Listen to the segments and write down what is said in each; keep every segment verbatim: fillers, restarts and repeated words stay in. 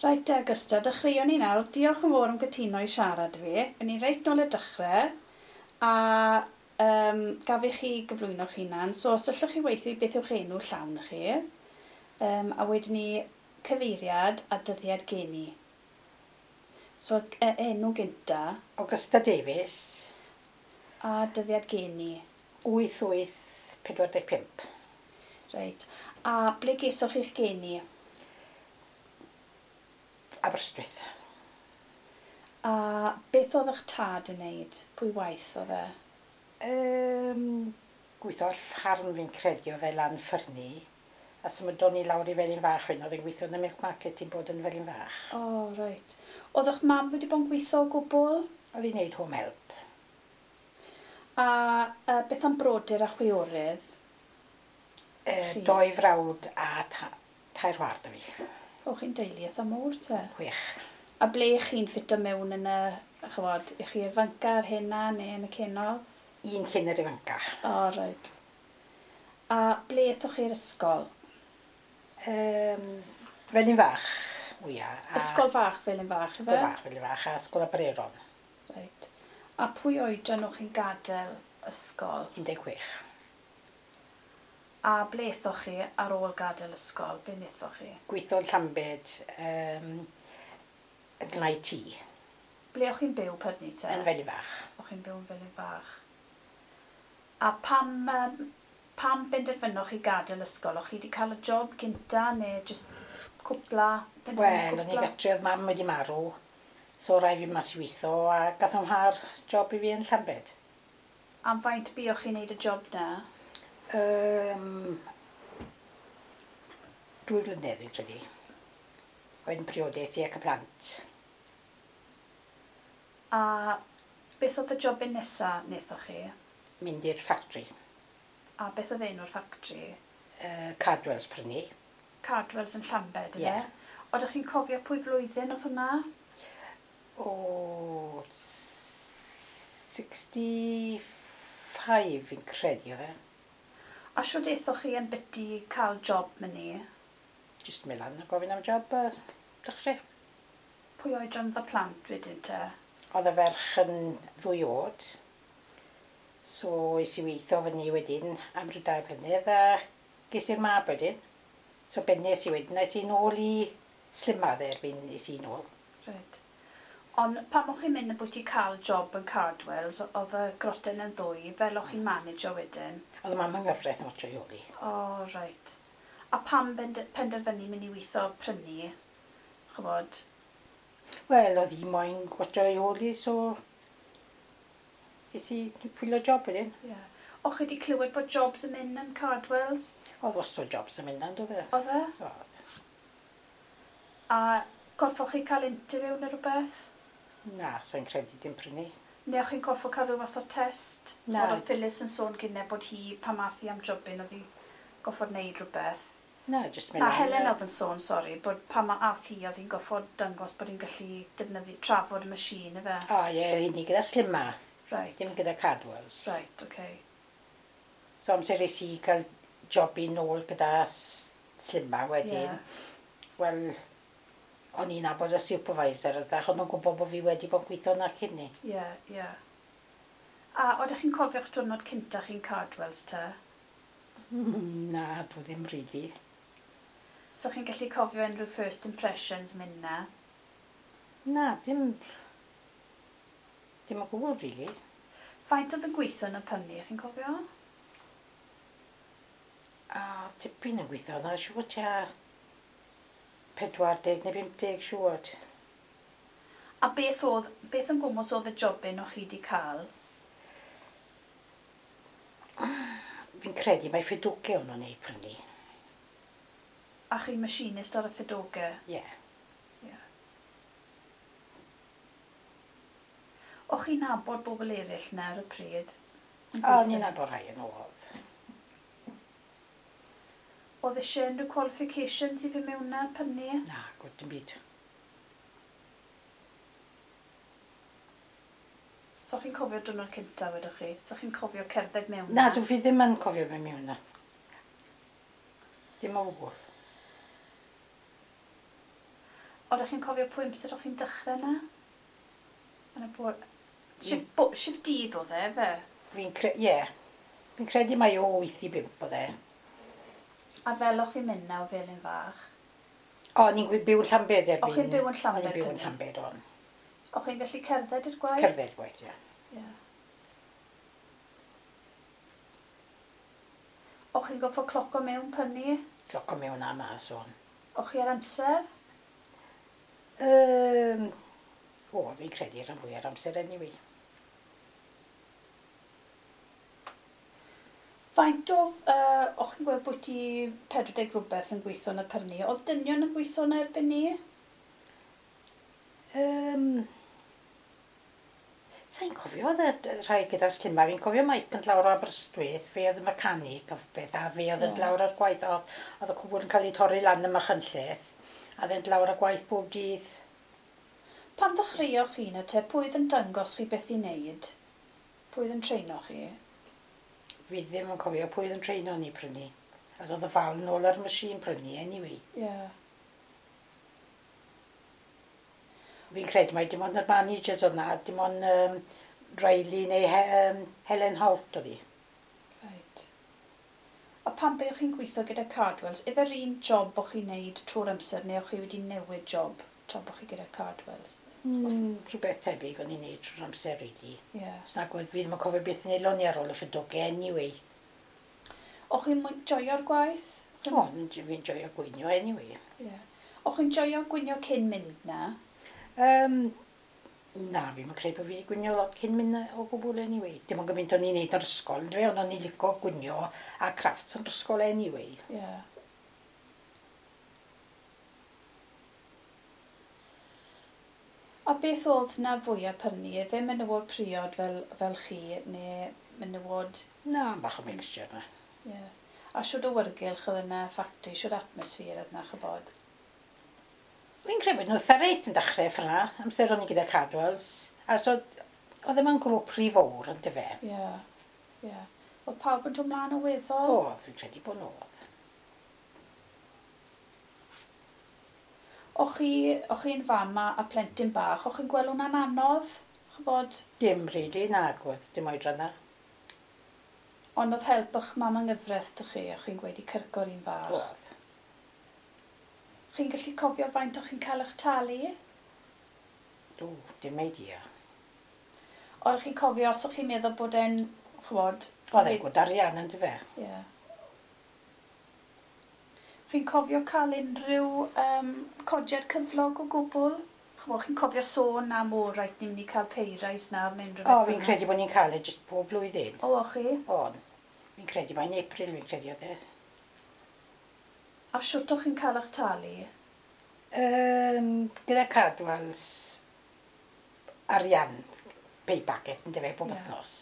Reit te, Augusta, dechreuwn ni nawr. Diolch yn fawr am gytuno i siarad fi. O'n i reit nôl y dechrau, a um, gaf i chi gyflwyno'ch hunan. So, os allwch chi weithio i beth yw'ch enw llawn chi, um, a wedyn ni cyfeiriad a dyddiad geni. So, e enw gynta. Augusta Davies. A dyddiad geni. wyth wyth pedwar deg pump. Reit. A ble gesoch chi'ch geni? Aberystwyth. A beth oedd eich tad yn neud? Pwy waith oedd e? Um, gweithio ar ffarm fi'n credu oedd e lan ffyrni. A symudon ni lawr i Felin Fach wedyn, oedd e'n gweithio yn y milk market i'n bod yn Felin Fach. O, oh, reit. Oedd eich mam wedi bod yn gweithio o gwbl? Oedd hi'n neud home help. A uh, beth am brodyr a chwiorydd? Uh, doi frawd a ta tair chwaer 'da fi. O, chi'n deulu eitha mowr te? Chwech. A ble chi'n ffito mewn yn y, chymod, i chi'r ifanca a'r hena neu yn y cenol? Un cyn yr ifanca. O, oh, reit. A ble ethoch chi'r ysgol? Um, Felin Fach, mwyaf. A... Ysgol fach Felin Fach, ife? Ysgol fach Felin Fach a Ysgol Aberaeron. Reit. A pwy oedran o'ch chi'n gadael ysgol? un deg chwech. A ble ethoch chi ar ôl gadael ysgol? Be wnaethoch chi? Gweithio yn Llambed, um, yn gnau tŷ. Ble o'ch chi'n byw pryd 'ny te? Yn Felin Fach. O'ch chi'n byw yn Felin Fach. A pam, um, pam benderfynoch chi gadael ysgol? O'ch chi wedi cael y job gynta neu jyst cwpla? Wel, o'n i gatre, oedd mam wedi marw, so rai fi mas i weithio a gath o'n mhar job i fi yn Llambed. Am faint buoch chi'n neud y job na? Um, dwy flynedd fi'n credu. Wedyn priodes i ac y plant. A beth oedd y jobyn nesa wnaethoch chi? Mynd i'r factory. A beth oedd enw'r factory? Uh, Cardwells prynu. Cardwells yn Llambed, yfe? Ie. Oeddech chi'n cofio pwy flwyddyn oedd hwnna? O, sixty five fi'n credu oedd e. A shwd aethoch chi yn biti cael job myni? Jyst mynd lan a gofyn am job a dechrau. Pwy oedran oedd y plant wedyn te? Oedd y ferch yn ddwy oed. So es i weithio fyny wedyn am rhyw dair blynedd a ges i'r mab wedyn. So bennes i wedyn, es i nôl i Slimma dde erbyn es i nôl. Reit. Ond pan o'ch chi'n mynd yn bwyty cael job yn Cardwells, oedd y groten yn ddwy, fel o'ch chi'n manageo wedyn? Oedd y mam yng nghyfraith yn watcho i holi. O, oh, reit. A pam penderfynu mynd i weithio prynu, chybod? Wel, oedd hi moyn watcho i holi, so es i pwylo job wedyn. Ie. Yeah. O'ch chi wedi clywed bod jobs yn mynd yn Cardwells? Oedd wastad jobs yn mynd yn, doedd e? Oedd e? Oedd. A gorffoch chi cael interview neu rhywbeth? Na, sa'n credu dim prynu. Neu o'ch chi'n gorffo cael rhyw fath o test? Na. Oedd Phyllis yn sôn gynne bod hi, pan math hi am jobyn, oedd hi goffod wneud rhywbeth. Na, jyst mynd Na, Helen oedd yn sôn, sori, bod pan ma ath hi, oedd hi'n goffod dangos bod hi'n gallu defnyddio, trafod y machine, ife? O, ie, hynny gyda Slimma. Right. Dim gyda Cardwells. Right, oce. Okay. So amser es i cael job i nôl gyda Slimma wedyn, yeah. Wel, o'n i'n nabod y supervisor, ydych, o'n nhw'n gwybod bod fi wedi bod yn gweithio na cyn ni. Ie, yeah, ie. Yeah. A oeddech chi'n cofio'ch diwrnod cynta chi'n Cardwells te? Na, dwi ddim really. So chi'n gallu cofio unrhyw first impressions mynd na? Na, dim... Dim o gwbl, really. Faint oedd yn gweithio yn y pynnu, chi'n cofio? A, tipyn yn gweithio yna, siŵr tua pedwar deg neu pump deg siŵr. A beth oedd, beth yn gwmws oedd y jobyn o'ch chi wedi cael? Fi'n credu mai ffedoge o'n nhw'n ei prynu. A chi'n machinist ar y ffedoge? Ie. Yeah. Yeah. O'ch chi'n nabod bobl eraill na ar y pryd? O, o'n i'n nabod rhai yn oedd. Oedd eisiau unrhyw qualifications i fi mewn na prynu? Na, gwyd dim byd. So chi'n cofio diwrnod cynta wedwch chi? So chi'n cofio cerdded mewn na? Na, dwi fi ddim yn cofio mynd mewn na. Dim o gwbl. Oeddech chi'n cofio pwy amser o'ch chi'n dechrau yna? Yn y bore... Shift, bo, shift dydd oedd e, fe? Fi'n cre... Ie. Yeah. Fi'n credu mai o wyth i bump oedd e. A fel o'ch chi'n mynd na o Felin Fach? O, ni'n byw yn Llambed erbyn... O'ch chi'n byw yn Llambed? O'n i'n byw yn Llambed, o'n. O'ch chi'n gallu cerdded i'r gwaith? Cerdded gwaith, ie. Yeah. O'ch chi'n goffo cloco mewn pynnu? Cloco mewn a mas, o'n. O'ch chi ar amser? Um, o, fi'n credu rhan fwy ar amser anyway. Faint o, uh, o'ch chi'n gweld bod ti pedwar deg rhywbeth yn gweithio yn y pyrni, oedd dynion yn gweithio yna erbyn ni? Um, Sa'n cofio oedd y rhai gyda slimma, fi'n cofio Mike yn lawr o Aberystwyth, fe oedd y mechanic o beth, a fe oedd yn yeah. lawr ar gwaith, oedd y cwbl yn cael ei torri lan ym Machynlleth, a oedd yn lawr ar gwaith bob dydd. Pan ddechreuoch chi na te, pwy oedd yn dangos chi beth i wneud? Pwy oedd yn treino chi? Fi ddim yn cofio pwy oedd yn treino ni prynu. A oedd y fal nôl ar y machine prynu, anyway. Ie. Yeah. Fi'n credu mai dim ond yr managers oedd na, dim ond um, Riley neu He um, Helen Holt oedd hi. Right. A pan be o'ch chi'n gweithio gyda Cardwells, efo'r un job o'ch chi'n neud trwy'r amser neu o'ch chi wedi newid job tra bod chi gyda Cardwells? Mm, rhywbeth tebyg o'n i'n neud trwy'r amser, really. Yeah. Os nag oedd, fi ddim yn cofio beth neulon ni ar ôl y ffydoge anyway. O'ch chi'n joio'r gwaith? O, fi'n joio gwynio anyway. Yeah. O'ch chi'n joio gwynio cyn mynd na? Um, na, fi'n credu bod fi wedi gwynio lot cyn mynd o gwbl anyway. Dim ond gymaint o'n i'n neud yr ysgol, yndyfe, ond o'n i'n licio gwynio a crafts yn ysgol anyway. Yeah. A beth oedd na fwyaf prynu? Efe menywod priod fel, fel chi, neu menywod... Na, bach o mixture na. Yeah. A siwr o wyrgylch oedd yna ffactri, siwr atmosffer oedd yna, chybod? Fi'n credu bod nhw eitha reit yn dechrau ffyna, amser o'n i gyda Cardwells. A so, oedd ddim yn grŵp rhy fawr, yn dyfe? Ie, yeah, ie. Yeah. Oedd pawb yn dod mlaen o weddol? Oedd, fi'n credu bod nhw oedd. O'ch chi, o'ch chi'n fam a, a plentyn bach, o'ch chi'n gweld hwnna'n anodd? Chybod? Dim rili, nag oedd, dim oedran na. Ond oedd help o'ch mam yng nghyfraith dych chi, o'ch chi'n gweud i cyrco'r un fach? Oedd. Chi'n gallu cofio faint o'ch chi'n cael eich talu? Do, dim idea. Oeddech chi'n cofio os o'ch chi'n meddwl bod e'n, ch'mod... Oedd e'n gwd arian yn dyfe? Ie. Yeah. Chi'n cofio cael unrhyw um, codiad cyflog o gwbl? Ch'mod, chi'n cofio sôn am o, reit, ni'n mynd i cael pay rise nawr neu unrhyw beth? O, fi'n credu bod ni'n cael e jyst pob blwyddyn. O, o'ch chi? O'n. Fi'n credu mae'n April, fi'n credu oedd e. A siwt o'ch chi'n cael eich talu? Um, gyda Cardwells arian pay packet yn dyfe bob yeah. wythnos.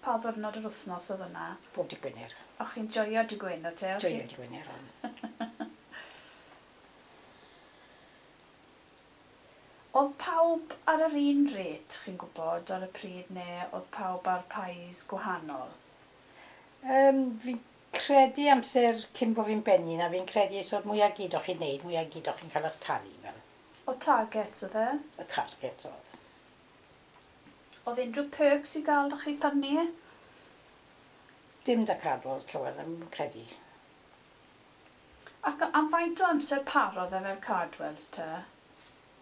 Pa ddwrnod yr wythnos oedd yna? Bob dydd Gwener. O'ch chi'n joio dydd Gwener te? Joio dydd Gwener, o'n. Oedd pawb ar yr un rate, chi'n gwybod, ar y pryd, neu oedd pawb ar pays gwahanol? Um, fi'n credu amser cyn bod fi'n benni na, fi'n credu so mwy a gyd o'ch chi'n neud, mwy a gyd o'ch chi'n cael eich talu fel. Oedd targets oedd e? Y targets oedd. Oedd unrhyw perks i gael o'ch chi prynu? Dim da Cardwells llawer, ddim yn credu. Ac am faint o amser parodd e fel Cardwells te?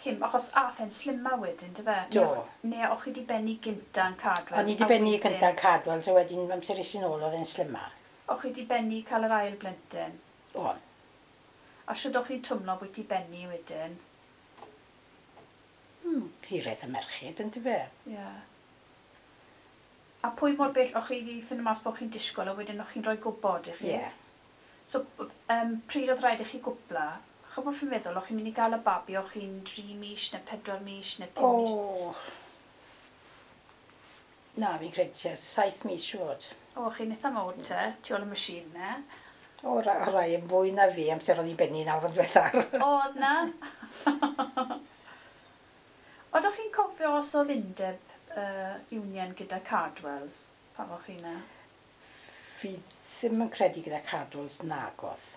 Cyn, achos ath e'n slimma wedyn, dy fe? Do. Neu o'ch chi di benni gynta yn Cardwells? O'n i di benni gynta yn Cardwells, a wedyn amser es i nôl oedd e'n slimma. O'ch chi di benni cael yr ail blentyn? O'n. A siwr o'ch chi'n twmlo bod ti benni wedyn? Hmm, hiraeth y merched, yn dyfe? Ie. Yeah. A pwy mor bell o'ch chi di ffindo mas bod chi'n disgwyl a wedyn o'ch chi'n rhoi gwybod i chi? Ie. Yeah. So, um, pryd oedd rhaid i chi gwpla? Ch'bo fi'n meddwl, o'ch chi'n mynd i gael y babi, o'ch chi'n dri mis neu pedwar mis neu pum mis? O. Na, fi'n credu tua saith mis siwr. O, chi'n eitha mawr te, tu ôl y machine ne? O, ra rai yn fwy na fi, amser o'n i'n benni nawr yn diwethaf. O, na? Oeddech chi'n cofio os oedd undeb uh, union gyda Cardwells, pan o'ch chi na? Fi ddim yn credu gyda Cardwells nagodd.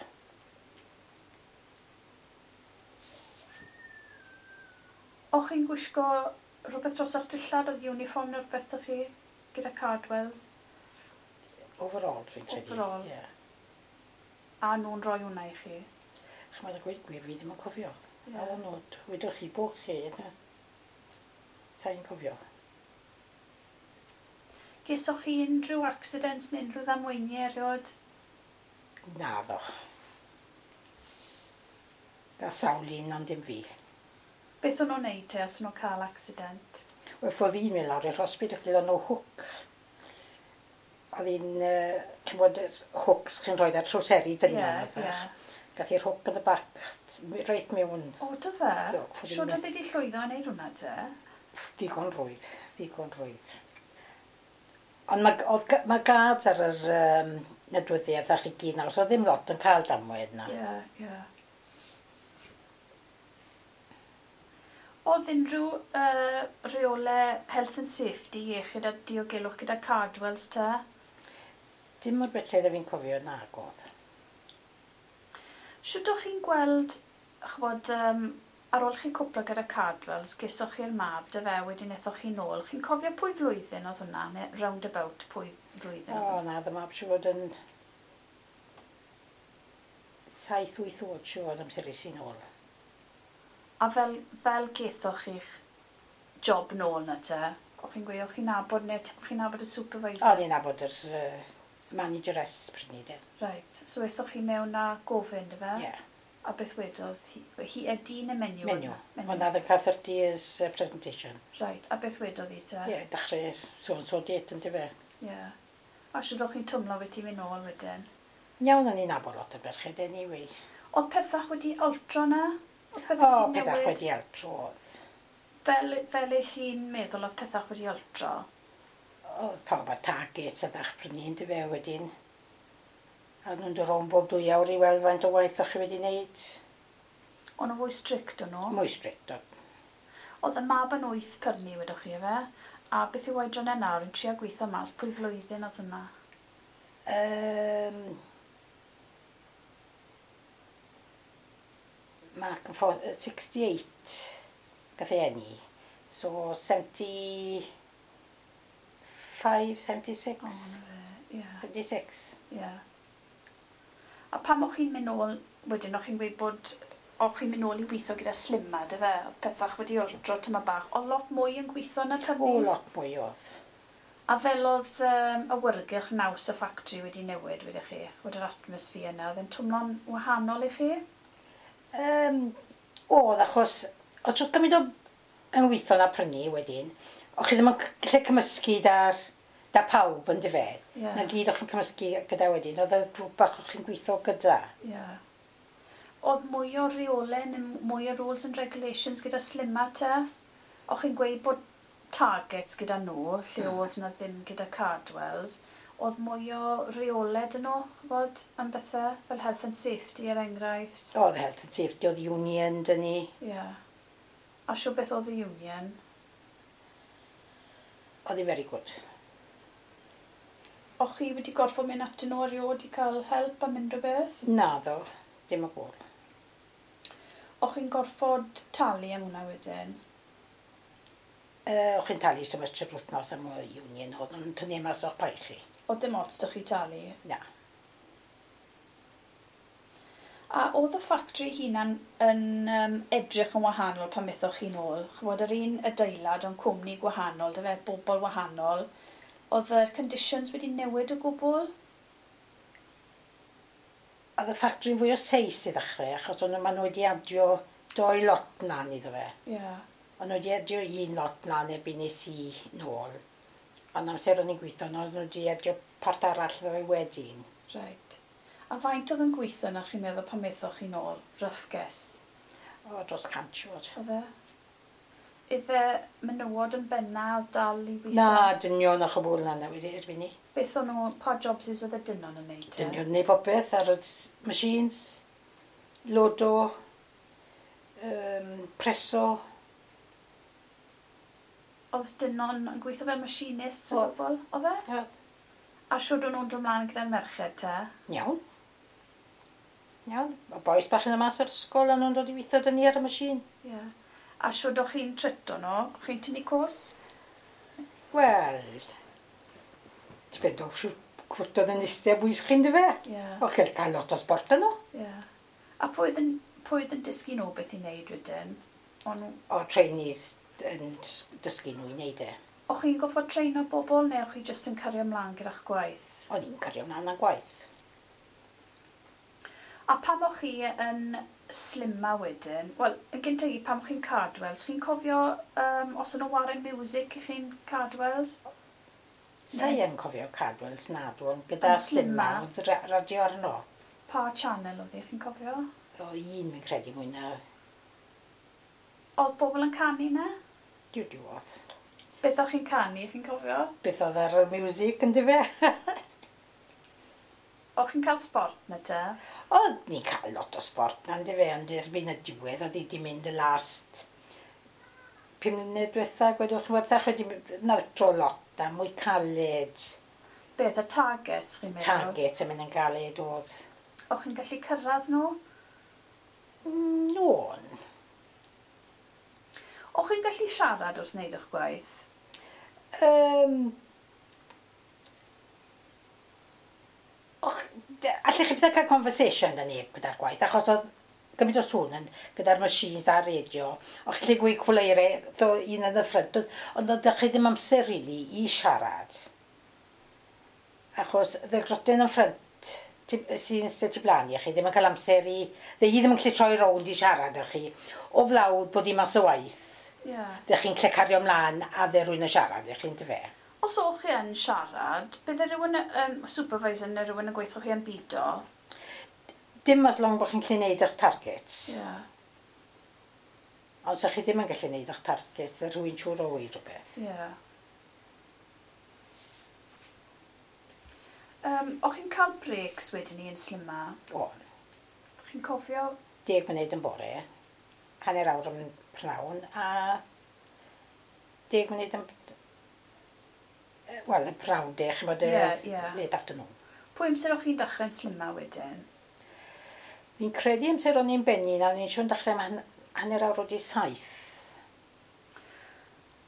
O'ch chi'n gwisgo rhywbeth dros eich dillad, oedd uniform neu rhywbeth o'ch chi gyda Cardwells? Overall, fi'n credu. Overall. Ie. A nhw'n rhoi hwnna i chi? Chymod, a gweud gwir, fi ddim yn cofio. Ie. A o'n nhw, wedwch chi bo chi, yna. Sa i'n cofio. Gesoch chi unrhyw accidents neu unrhyw ddamweiniau erioed? Naddo. Gael sawl un, ond dim fi. Beth o'n nhw'n neud te os o'n nhw'n cael accident? Wel, ffordd un mynd lawr i'r hospital, gyda nhw hook. Oedd hi'n, uh, ch'mod, yr hooks chi'n rhoi ar trowseri dynion. Ie, ie. Gath hi'r hook yn y back, reit mewn. O, do fe? Do, ffordd Siwr un- oedd wedi llwyddo yn neud hwnna te? Digon rwydd, digon rwydd. Ond mae, oedd, mae guards ar yr um, nodweddiaeth ach i gyd nawr, so ddim lot yn cael damwain na. Ie, ie. Oedd unrhyw uh, reole health and safety, iechyd a diogelwch gyda Cardwells te? Dim o'r beth lle fi'n cofio nag oedd. Shwt o'ch chi'n gweld, ch'mod, um, ar ôl chi cwpla gyda Cardwells, gesoch chi'r mab, dy fe, wedyn ethoch chi nôl. Chi'n cofio pwy flwyddyn oedd hwnna, neu round about pwy flwyddyn O, oedd hwnna? na, dyma siŵr fod yn saith, wyth oed siŵr fod amser es i nôl. A fel, fel gethoch chi'ch job nôl na te, o'ch chi'n gweud, o'ch chi'n nabod, neu o'ch chi'n nabod y supervisor? O'n i'n nabod yr uh, manageress pryd ni de. Right, so ethoch chi mewn a gofyn, dy fe? Ie, A beth wedodd hi? Hi y dyn y menyw? menyw. Menyw. Ond oedd yn cael thirty years uh, presentation. Right, a beth wedodd hi te? Ie, yeah, dechrau so and so date yn fe. Ie. A siwr o'ch chi'n twmlo wedi mynd nôl wedyn? Iawn, o'n i'n nabod lot o merched anyway. Oedd pethach wedi altro na? Oedd pethach O, wedi pethach newid? wedi altro oedd. Fel, fel eich chi'n meddwl oedd pethach wedi altro? Oedd pawb a targets a ddech prynu yn fe wedyn. A nhw'n dod rownd bob dwy awr i weld faint o waith o'ch chi wedi wneud. O'n nhw fwy strict o'n nhw? Mwy strict oedd. Oedd y mab yn wyth pyrnu, wedwch chi, efe? A beth yw oedran e nawr yn trio gweithio mas? Pwy flwyddyn oedd hwnna? Um, Mark yn ffo- yy, sixty-eight gath ei eni. So seventy-five, seventy-six? O, na fe, ie. seventy-six. Ie. A pam o'ch chi'n mynd nôl, wedyn o'ch chi'n gweud bod o'ch chi'n mynd nôl i weithio gyda Slimma, dy fe? Oedd pethach wedi altro tyma bach. Oedd lot mwy yn gweithio na prynu? O, lot mwy oedd. A fel oedd um, awyrgylch naws y ffactri wedi newid, wedych chi? Ch'mod yr atmosffer yna, oedd e'n twmlo'n wahanol i chi? Um, oedd, achos, oedd trwy gymaint o yn weithio na prynu wedyn, o'ch chi ddim yn gallu cymysgu da'r da pawb yn dyfe. Ie. Na gyd o'ch chi'n cymysgu gyda wedyn, oedd y grŵp bach o'ch chi'n gweithio gyda. Ie. Oedd mwy o reolau neu mwy o rules and regulations gyda Slimma te? O'ch chi'n gweud bod targets gyda nhw, lle Mm. oedd na ddim gyda Cardwells. Oedd mwy o reolau dyn nhw, ch'bod, am bethau fel health and safety er enghraifft? Oedd health and safety, oedd union dyn ni. Ie. A siw beth oedd y union? Oedd hi very good. O'ch chi wedi gorfod mynd atyn nhw erioed i cael help am unrhyw beth? Naddo, dim o gwbl. O'ch chi'n gorfod talu am hwnna wedyn? Uh, o'ch chi'n talu so much yr wythnos am y union oedd nhw'n tynnu mas o'ch pael chi. Oedd dim ots 'da chi talu? Na. A oedd y ffactri hunan yn um, edrych yn wahanol pan methoch chi nôl? Ch'mod, yr un adeilad ond cwmni gwahanol, dy fe, bobl wahanol. Oedd y conditions wedi newid o gwbl? Oedd y ffactri'n fwy o seis i ddechrau, achos o'n maen nhw wedi adio doi lot mlaen iddo fe. Ie. Yeah. O'n nhw wedi adio un lot mlaen erbyn nes i nôl. Ond amser o'n i'n gweithio, o'n nhw wedi adio part arall iddo fe wedyn. Right. A faint oedd yn gweithio na chi'n meddwl pan methoch chi nôl? Rough guess. O, dros cant siwr. Oedd e? Ife menywod yn benna oedd dal i weithio? Na, dynion a chwbl na na wedi erbyn ni. Beth o'n nhw, pa jobs is oedd y dynon yn neud te? Dynion neu popeth ar y machines, lodo, um, preso. Oedd dynon yn gweithio fel machinists o Oedd. gwbl? Oedd e? Oedd. A siwr o'n nhw'n dod mlaen gyda'r merched te? Iawn. Iawn. Y bois bach yn y mas o'r ysgol a nhw'n dod i weithio dyn ni ar y machine. Ie. Yeah. A siwr o'ch chi'n trito nhw? O'ch chi'n tynnu cos? Wel, dibynnu o siwr cwrt oedd yn eistedd bwys chi'n dyfe? Ie. O'ch chi'n cael lot o sport yno. Ie. A pwy oedd yn, pwy oedd yn dysgu nhw beth i wneud wedyn? O'n nhw- O trainees yn dys- dysgu nhw i wneud e. O'ch chi'n goffod treino bobl neu o'ch chi jyst yn cario ymlaen gyda'ch gwaith? O'n i'n cario ymlaen â gwaith. A pam o'ch chi yn Slimma wedyn, wel, yn gyntaf i, pam o'ch chi'n Cardwells, chi'n cofio um, os o'n nhw ware music i chi'n Cardwells? Sa i yn cofio Cardwells nadw, ond gyda Yn Slimma? Slimma oedd ra- radio arno. Pa channel oedd hi, chi'n cofio? O un fi'n credu mwy na Oedd bobl yn canu na? diw diw oedd. Beth o'ch chi'n canu, chi'n cofio? Beth oedd ar y music yn dyfe? O'ch chi'n cael sport na te? Oedd ni'n cael lot o sport na yndyfe, ond erbyn y diwedd oedd hi wedi mynd y last pum mlynedd diwetha, gwedwch chi'n webdach wedi naltro lot a mwy caled, Beth y targets, chi'n meddwl? target yn mynd yn galed oedd. O'ch chi'n gallu cyrraedd nhw? Mm, O'n. O'ch chi'n gallu siarad wrth wneud eich gwaith? Um, och, allech chi byth cael conversation da neb gyda'r gwaith, achos oedd gymaint o sŵn yn gyda'r machines a'r radio. O'ch chi'n gweud cwleire, do un yn y ffrynt, ond ond oedd chi ddim amser really i siarad. Achos y grotyn yn ffrynt ti- sy'n eistedd tu blaen i chi ddim yn cael amser i... Dde hi ddim yn gallu troi rownd i siarad â chi. O flawd bod hi mas o waith. Ie. Yeah. Dych chi'n lle cario ymlaen a dde rwy'n yn siarad, ych chi'n dyfe. Os o'ch chi yn siarad, bydde rhywun, um, supervisor neu rhywun yn gweithio chi yn bido? Dim as long bod chi'n gallu neud eich targets. Ie. Yeah. Ond os chi ddim yn gallu neud eich targets, dde rhywun siŵr o weud rhywbeth. Ie. Yeah. Um, o'ch chi'n cael breaks wedyn ni yn Slimma? O, Chi'n cofio? deg munud yn bore, hanner awr yn prynhawn, a deg munud yn... Wel, y prynhawn de, chi'mod, y Ie, ie. late afternoon. Pwy amser o'ch chi'n dechrau'n Slimma wedyn? Fi'n credu amser o'n i'n benni, na o'n i'n siŵr yn dechrau am han- hanner awr wedi saith.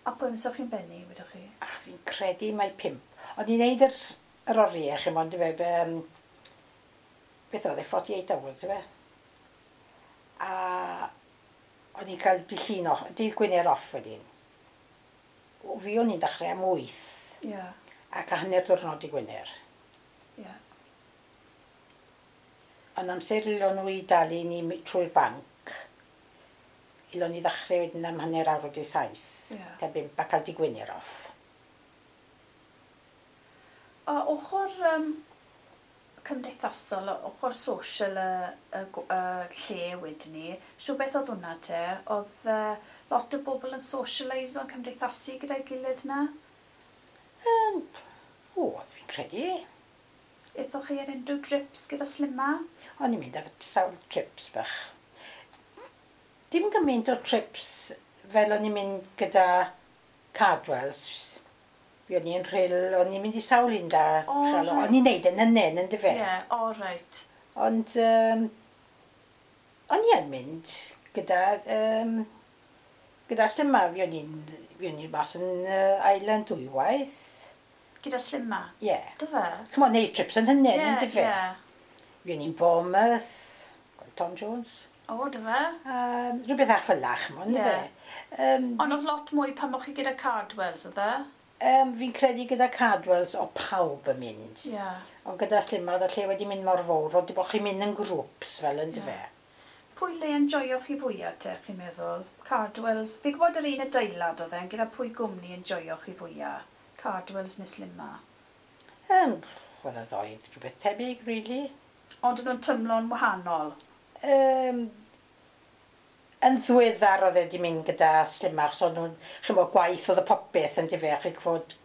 A pwy amser o'ch chi'n benni, wedwch chi? Ach, fi'n credu mai pump. O'n i'n neud yr, yr oriau, chi'mod, dyfe, um, beth oedd e, forty-eight hours, dyfe? A o'n i'n cael dydd Llun off, dydd Gwener off wedyn. O, fi o'n i'n dechrau am wyth Ie, yeah, ac a hanner diwrnod i Gwener. ie. Yeah. Ond amser ilon nhw i dalu ni mi- trwy'r banc, ilon ni ddechrau wedyn am hanner awr wedi saith. Ie. Ta bump a cael dydd Gwener off. A ochr um, cymdeithasol, ochr social y, y, gw- y lle wedyn ni, siw beth oedd hwnna te? Oedd uh, lot o bobl yn socialise o'n cymdeithasu gyda'i gilydd na? Um, o, fi'n credu. Aethoch chi ar unrhyw trips gyda Slimma? O'n i'n mynd ar sawl trips bach. Dim gymaint o trips fel o'n i'n mynd gyda Cardwells. Fi o'n i'n Rhyl, o'n i'n mynd i sawl un da. O, Chalo. reit. O'n i'n neud yn hynny, yn dyfe. Ie, yeah, o reit. Ond um, o'n i yn mynd gyda, um, gyda Slimma. Fi o'n i'n fi o'n i'n mas yn uh, Island dwywaith. Gyda Slimma? Ie. Yeah. Dy fe? Ch'mo', neud trips yn hynny, Ie, yn dyfe. ie. Fi o'n i'n Bournemouth, gweld Tom Jones. O, dy fe? Um, rhywbeth ach fel 'na, ch'mo', Ie. yndyfe? Um, Ond oedd lot mwy pan o'ch chi gyda Cardwells, oedd e? um, fi'n credu gyda Cardwells o pawb yn mynd. Ie. Yeah. Ond gyda Slimma oedd y lle wedi mynd mor fawr, oedd bod chi'n mynd yn grŵps fel yndyfe. Ie. Pwy le yn joio chi fwyaf te, chi'n meddwl? Cardwells. Fi'n gwybod yr un adeilad oedd e, gyda pwy gwmni yn joio chi fwyaf? Cardwells neu Slimma? Um, Wel, y ddoi rhywbeth tebyg, really. Ond yn nhw'n tymlo'n wahanol. Um, yn ddiweddar oedd e wedi mynd gyda Slimma, achos o'n nhw'n, chi'n bod, gwaith oedd y popeth yn dyfe, chi'n gwybod,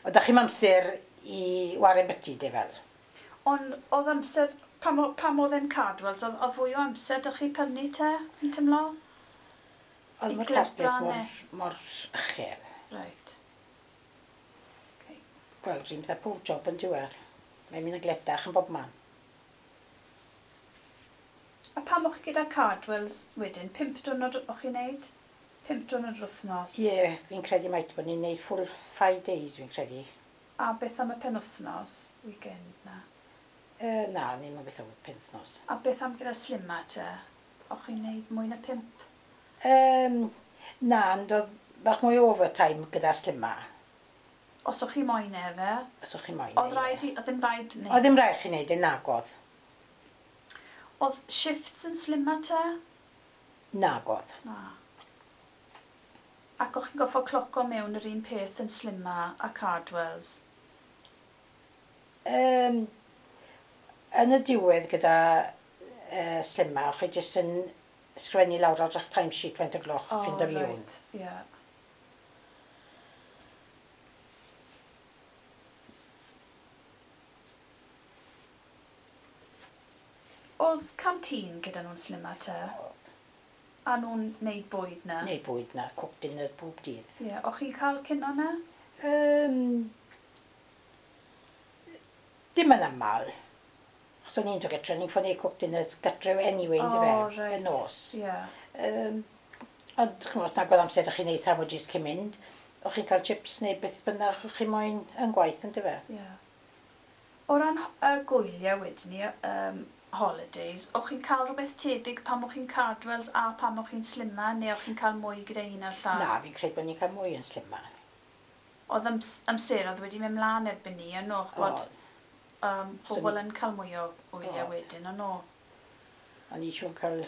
oedd chi'n amser i waren byty, de fel. Ond oedd amser, pam, o- pam oedd e'n Cardwells, oedd, oedd fwy o amser dych chi prynu te, yn tymlo? Oedd I mae'r target glebran mor, neu? mor uchel. Right. Okay. Wel, rhywun fatha pob job yn diwedd. Mae'n mynd yn gletach yn bob man. A pam o'ch chi gyda Cardwells wedyn, pump diwrnod o'ch chi'n neud? Pump diwrnod yr wythnos? Ie, yeah, fi'n credu mait bod ni'n neud full five days, fi'n credu. A beth am y penwythnos, weekend na? Uh, na, ni'n mynd beth am y penwythnos. A beth am gyda Slimma te? O'ch chi'n neud mwy na pump? Um, na, ond oedd bach mwy overtime gyda Slimma. Os o'ch chi moyn e fe? Os o'ch chi moyn. Oedd rhaid i, oedd ddim rhaid neud? Oedd ddim rhaid chi neud e, nagodd. Oedd shifts yn Slimma te? Nagodd. Na. Ac o'ch chi'n goffo cloco mewn yr un peth yn Slimma a Cardwells? Um, yn y diwedd gyda uh, Slimma, o'ch chi jyst yn sgrifennu lawr ar eich timesheet faint o gloch oh, chi'n dod mewn. Right, yeah. Oedd canteen gyda nhw'n Slimma te? Oedd. A nhw'n neud bwyd na? Neud bwyd na, cooked dinner bob dydd. Ie, yeah. O'ch chi'n cael cino na? Um, dim yn aml. Achos o'n i'n dod gytre, o'n i'n ffynnu cooked dinners gytre anyway, oh, yndyfe, right. Y nos. Ie. Yeah. Um, ond, ch'mo', os nag oedd amser o'ch chi'n neud sandwiches cyn mynd, o'ch chi'n cael chips neu beth bynnag o'ch chi moyn yn gwaith, yndyfe? Ie. Yeah. O ran y gwyliau wedyn ni, um, holidays, o'ch chi'n cael rhywbeth tebyg pan o'ch chi'n Cardwells a pan o'ch chi'n Slimma, neu o'ch chi'n cael mwy gyda un a'r llall? Na, fi'n credu bod ni'n cael mwy yn Slimma. Oedd ams amseroedd wedi mynd mlaen erbyn ni, yn o'ch bod um, pobl yn cael mwy o wyliau wedyn, o'n o? O'n i siŵr cael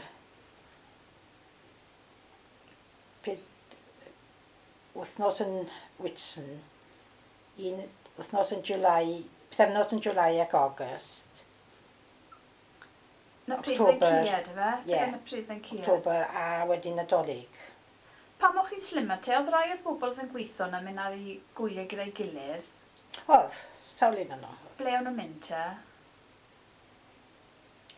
ped wythnos yn Whitsun, un wythnos yn July, pythefnos yn July ac August. Na pryd yn cied, efe? Ie. Na pryd yn cied. October a wedyn Nadolig. Pam o'ch chi'n Slimma te, oedd rai o'r bobl oedd yn gweithio na mynd ar eu gwyliau gyda'i gilydd? Oedd, sawl un yno. Ble o'n nhw'n mynd te?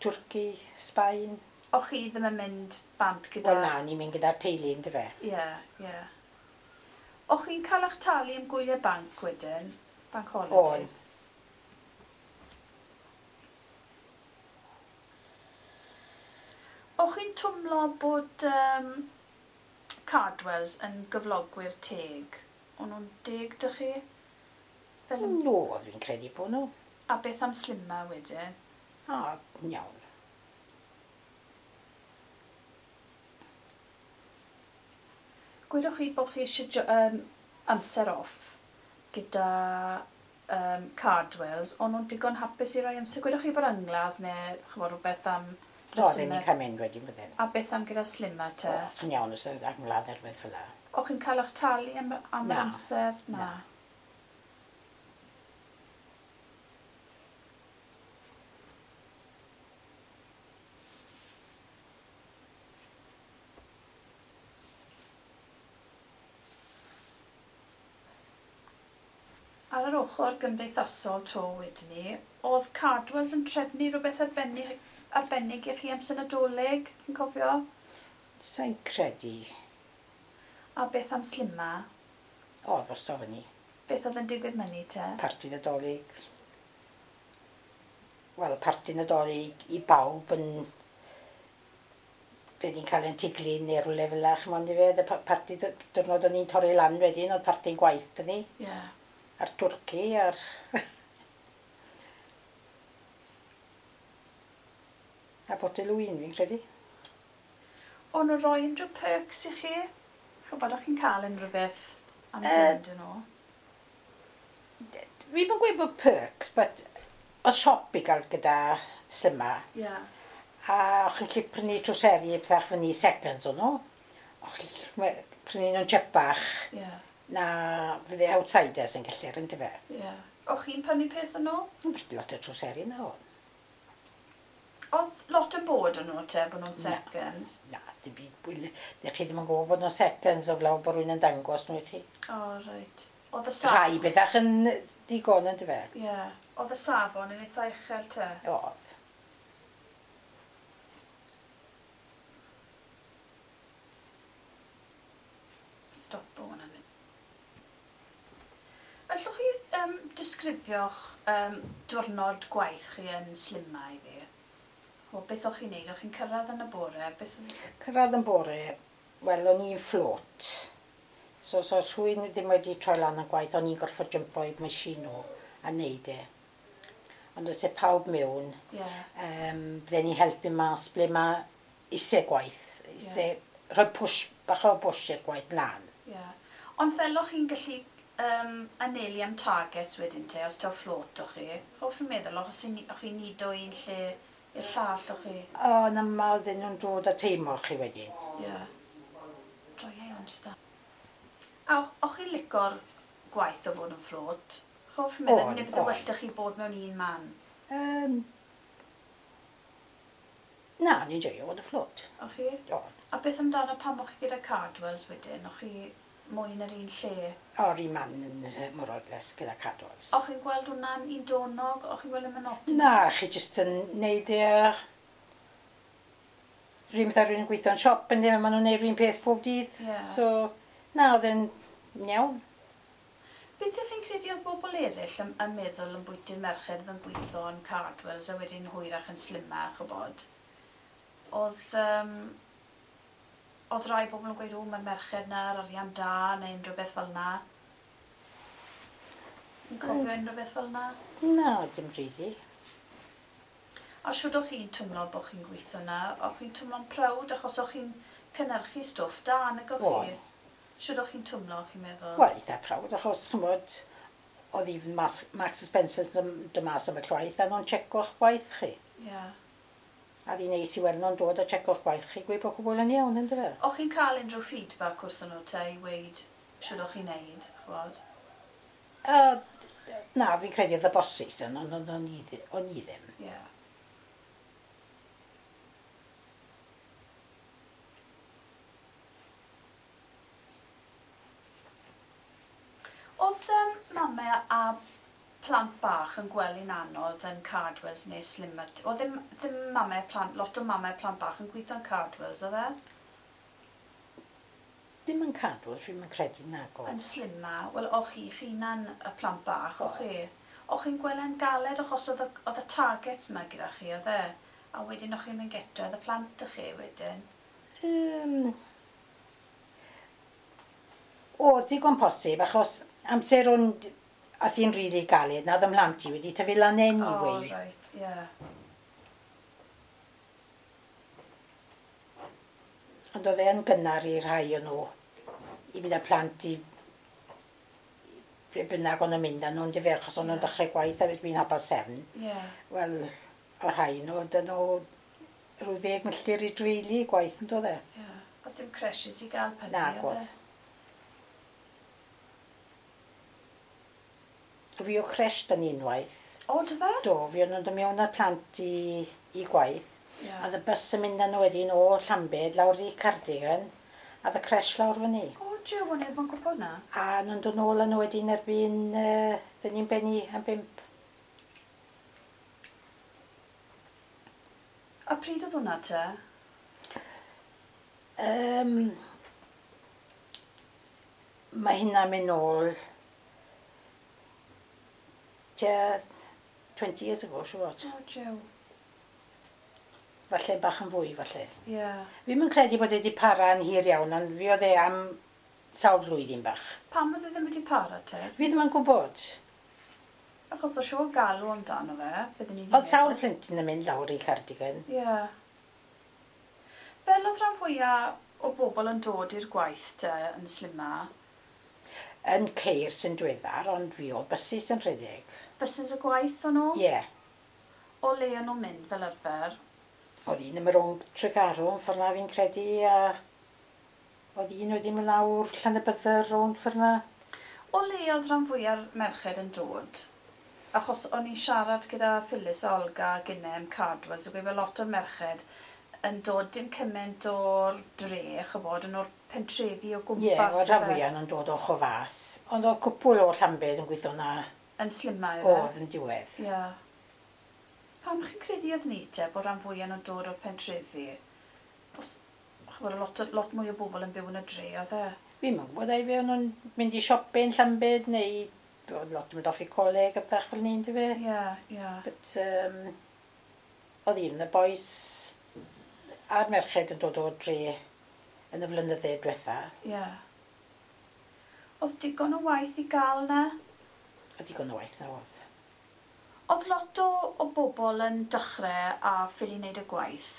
Twrci, Sbaen. O'ch chi ddim yn mynd bant gyda... Wel na, ni'n mynd gyda'r teulu, yndyfe? Ie, ie. O'ch chi'n cael eich talu am gwyliau banc wedyn? Bank holidays? Oedd. O'ch chi'n twmlo bod um, Cardwells yn gyflogwyr teg? O'n nhw'n deg dych chi? Fel... No, fi'n credu bod nhw. A beth am Slimma wedyn? A, iawn. Gwydwch chi bod chi eisiau um, amser off gyda um, Cardwells, o'n nhw'n digon hapus i roi amser? Gwydwch chi bod angladd neu ch'mod rhywbeth am... O, ddim ni'n cael mynd wedyn bydden. A beth am gyda Slimma te? O, chi'n iawn os oedd angladd neu rhywbeth fel 'na. O'ch chi'n cael eich talu am, am yr amser? Na. Na. Ar yr ochr gymdeithasol to wedyn ni, oedd Cardwells yn trefnu rhywbeth arbennig, arbennig i chi amser Nadolig, chi'n cofio? Sa'n credu. A beth am Slimma? O, drosto fyny. Beth oedd yn digwydd myny te? Parti Nadolig. Wel, parti Nadolig i bawb yn... Bydden ni'n cael ein tiglu neu rhywle fel 'na, ch'mod yndyfe? Y parti diwrnod o'n i'n torri lan wedyn, oedd parti'n gwaith 'da ni. Ie. Yeah. A'r twrci, a'r... A botel o win, fi'n credu. O'n nhw'n rhoi unrhyw perks i chi? Ch'bod, o'ch chi'n cael unrhyw beth am fynd yn nhw? Fi ddim yn gweud bod perks, but oedd siop i gael gyda Slimma. Ie. Yeah. A o'ch chi'n gallu prynu trwseri a pethach fyny seconds o'n nhw. O'ch chi'n prynu nhw'n chipach. Ie. Yeah. Na fydde outsiders yn gallu, yndyfe? Ie. Yeah. O'ch chi'n prynu peth o'n nhw? Yn prynu lot o trwseri na o'n. Oedd lot yn bod yn nhw te, bod nhw'n seconds? Na, na, dim byd. Dych chi ddim yn gwybod bod nhw'n seconds o flaen bod rhywun yn dangos nhw i chi. O, oh, reit. Oedd y safon... Rhai bethach yn digon yn dyfe? Ie. Yeah. Oedd y safon yn eitha uchel te? Oedd. Stopo hwnna'n mynd. Allwch chi um, disgrifio'ch um, diwrnod gwaith chi yn Slimma i fi? O, beth o'ch chi'n neud? O'ch chi'n cyrraedd yn y bore? Beth... Cyrraedd yn bore, Wel, o'n i'n float. So, so rhywun ddim wedi troi lan yn gwaith, o'n i'n gorfod jumpo i machine nhw a neud e. Ond os e pawb mewn, yeah. um, bydden ni helpu mas ble mae eisiau gwaith, eisiau yeah. rhoi push, bach o push i'r gwaith mlaen. Yeah. Ond fel o'ch chi'n gallu um, anelu am targets wedyn te, os taw float o'ch chi, o'ch chi'n meddwl, o'ch chi'n nido un lle i'r llall o'ch chi? O, yn aml ddyn nhw'n dod a teimlo chi wedyn. Ie. Yeah. Droiau ond jyst da. A o'ch chi'n lico'r gwaith o fod yn float? O'ch chi'n meddwl, neu bydde well 'da chi bod mewn un man? Um, na, ni'n joio fod yn float. O'ch chi? O'n. A beth amdano pam o'ch chi gyda Cardwells wedyn? O'ch chi mwy yn yr un lle? O'r un man yn Morodles gyda Cardwells. O'ch chi'n gweld hwnna'n un donog? O'ch chi'n gweld y monotonous? Na, chi jyst yn neud e a... Rhywun fatha rhywun yn gweithio yn siop yn ddim, maen nhw'n neud rhywun peth pob dydd. Yeah. So, na, oedd e'n iawn. Beth ydych chi'n credu oedd bobl eraill yn, yn meddwl yn bwyty'r merched oedd yn gweithio yn Cardwells a wedyn hwyrach yn slimach, ch'bod? Oedd, um, oedd rai bobl yn gweud, o, mae'r merched na, yr arian da, neu unrhyw beth fel na. Yn cofio mm. unrhyw beth fel na? Na, dim rili. A siwr o'ch chi'n twmlo bod chi'n gweithio na? O'ch chi'n twmlo'n proud achos o'ch chi'n cynhyrchu stwff da, nag o'ch chi? Siwr o'ch chi'n twmlo, chi'n meddwl? Wel, eitha proud, achos, ch'mod, oedd even Marks, Marks and Spencer's dod mas am y llwaith, a nhw'n checo'ch gwaith chi. Ie. Yeah. A ddi neis i weld nhw'n dod a checo'ch gwaith chi, gweud bod cwbl yn iawn, ynddo fe? O'ch chi'n cael unrhyw feedback wrthyn nhw te i weud siwr o'ch chi'n neud, ch'mod? Uh, na, fi'n credu oedd y bosses yn, ond o'n i ddim. Ie. Yeah. Oedd um, mamau a plant bach yn gwely'n anodd yn Cardwells neu Slimmer? Oedd ddim, ddim mamau plant, lot o mamau plant bach yn gweithio yn Cardwells, oedd e? Dim yn Cardwells, fi'n yn credu nag oedd. Yn Slimmer, wel, o'ch chi hunan y plant bach, o'ch chi? O'ch chi'n gwely'n galed achos oedd y, oedd y targets yma gyda chi, oedd e? A wedyn o'ch chi'n mynd getre, oedd y plant ych chi wedyn? Um, o, digon posib, achos amser o'n... Oedd hi'n rili galed, na oedd ymhlant i wedi tyfu lan anyway. Oh, right, yeah. Ond oedd e'n gynnar i rhai o'n nhw i mynd â plant i ble bynnag o'n nhw'n mynd â nhw'n dyfe, achos o'n nhw'n dechrau gwaith a fi'n half past seven. Yeah. Wel, o'r rhai nhw, dyn nhw rhyw ddeg milltir i dreulu gwaith yn dod e. Yeah. Oedd dim creches i gael pennu, Nag oedd. Fi o creche dyn unwaith. O, dy fe? Do, fi o'n dod mewn â'r plant i, i gwaith. Yeah. A y bus yn mynd â nhw wedyn o Llambed lawr i Cardigan, a y creche lawr fyny. O, jiw, o'n i ddim yn gwybod na. A nhw'n dod nôl â nhw wedyn erbyn, uh, dyn ni'n benni am bump. A pryd oedd hwnna te? Um, mae hynna'n mynd nôl tua twenty years ago, siŵr o. O, jiw. Falle bach yn fwy, falle. Ie. Yeah. Fi'm yn credu bod e wedi para yn hir iawn, ond fi oedd e am sawl blwyddyn bach. Pam oedd e ddim wedi para te? Fi ddim yn gwybod. Achos o siŵr galw amdano fe, bydden ni 'di Oedd sawl plentyn yn mynd lawr i Cardigan. Ie. Yeah. Fel oedd rhan fwyaf o bobl yn dod i'r gwaith te yn Slimma? Yn ceir sy'n diweddar, ond fi o buses yn rhedeg. Buses y gwaith o'n nhw? Ie. Yeah. O le o'n nhw'n mynd fel arfer? Oedd un yn rownd Tregarw yn ffordd na fi'n credu, a oedd un wedi mynd lawr Llanybydder rownd ffordd na. O le oedd rhan fwyaf merched yn dod? Achos o'n i'n siarad gyda Phyllis a Olga gynne am Cardwells, a gweud fel lot o'r merched yn dod dim cymaint o'r dre, ch'bod, yn o'r pentrefi o gwmpas. Ie, yeah, oedd rhan fwyaf nhw'n dod o Chofas, ond oedd cwpwl o Llambed yn gweithio na. Yn Slimma, ife? Oedd yn diwedd. Ie. Yeah. Pam chi'n credu oedd ni te bod rhan fwyaf nhw'n dod o'r pentrefi? Os, ch'bod, lot, lot mwy o bobl yn byw yn y dre, oedd e? Fi'n gwybod, ai fe o'n nhw'n mynd i siope yn Llambed, neu oedd lot yn mynd off i coleg a bethach fel 'ny, yndyfe? Ie, ie. But, um, oedd un o'r boys a'r merched yn dod o'r dre yn y flynydde diwetha. Ie. Yeah. Oedd digon o waith i gael na? A digon o waith na oedd. Oedd lot o, o bobl yn dechrau a ffili wneud y gwaith?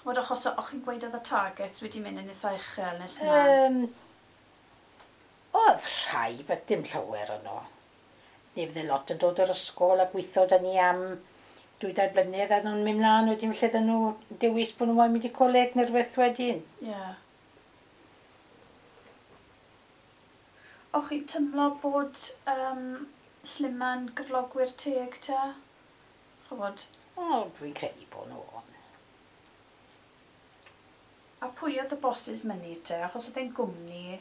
Ch'mod, achos o'ch chi'n gweud oedd y targets wedi mynd yn eitha uchel nes na? Um, oedd rhai, but dim llawer yno. Neu fydde lot yn dod o'r ysgol a gweithio da ni am dwy dair blynedd a nhw'n mynd mlaen wedyn felly dyn nhw dewis bod nhw'n moyn mynd i coleg neu rhywbeth wedyn. Ie. Yeah. O'ch chi'n tymlo bod um, Slima'n gyflogwyr teg te? Ch'mod? O, dwi'n credu bod nhw on. A pwy oedd y bosses myny te? Achos oedd e'n gwmni,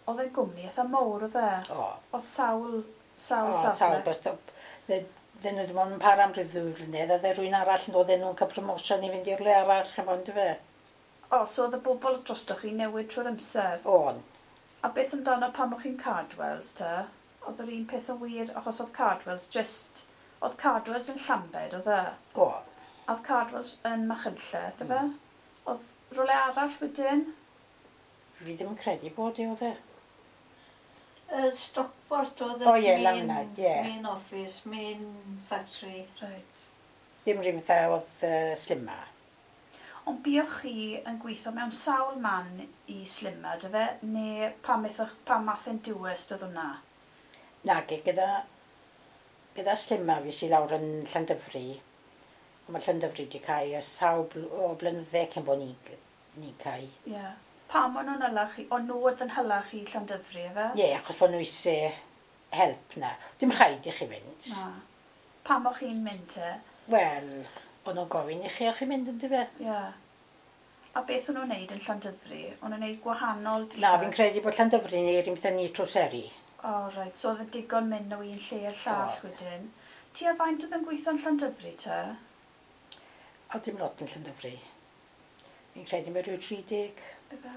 oedd e'n gwmni eitha mowr oedd e? O. Oedd sawl, sawl O, safle? sawl, but dyn nhw ddim ond yn para am rhyw ddwy flynedd, a dde rhywun arall yn dod nhw'n cael promotion i fynd i'r le arall, ch'mod, yndyfe? O, so oedd y bobl drostoch chi newid trwy'r amser? O'n. A beth amdano pan o'ch chi'n Cardwells te? Oedd yr un peth yn wir, achos oedd Cardwells just... Oedd Cardwells yn Llambed, oedd e? Oedd. A oedd Cardwells yn Machynlleth, efe? Mm. Oedd rhywle arall wedyn? Fi ddim yn credu bod e, oedd e. Uh, Stockport oedd y O, ie, main, lan 'na, ie. main office, main factory. Right. Dim rhywun fatha oedd uh, Slimma. Ond buoch chi yn gweithio mewn sawl man i Slimma, dy fe? Neu pam, ethoch, pam math yn dewis oedd hwnna? Nage, gyda, gyda Slimma fi sy lawr yn Llandyfri. Ond mae Llandyfri wedi cael ers sawl bl o blynydde cyn bod ni, ni cael. Ie. Yeah. Pam o'n nhw'n hyla chi? O'n nhw oedd yn hyla chi Llandyfri, efe? Ie, yeah, achos bod nhw eisiau help na. Dim rhaid i chi fynd. Na. Pam o'ch chi'n mynd te? Wel, o'n nhw'n gofyn i chi o'ch chi'n mynd yndyfe? Ie. Yeah. A beth o'n nhw'n neud yn Llandyfri? O'n nhw'n neud gwahanol Na, fi'n credu bod Llandyfri neu yr un peth â ni Troseri. O, oh, reit. So oedd y digon mynd o un lle i'r llall Oedd. wedyn. Ti a faint oedd yn gweithio yn Llandyfri te? O, dim lot yn Llandyfri. Fi'n credu mae rhyw tri deg Efe?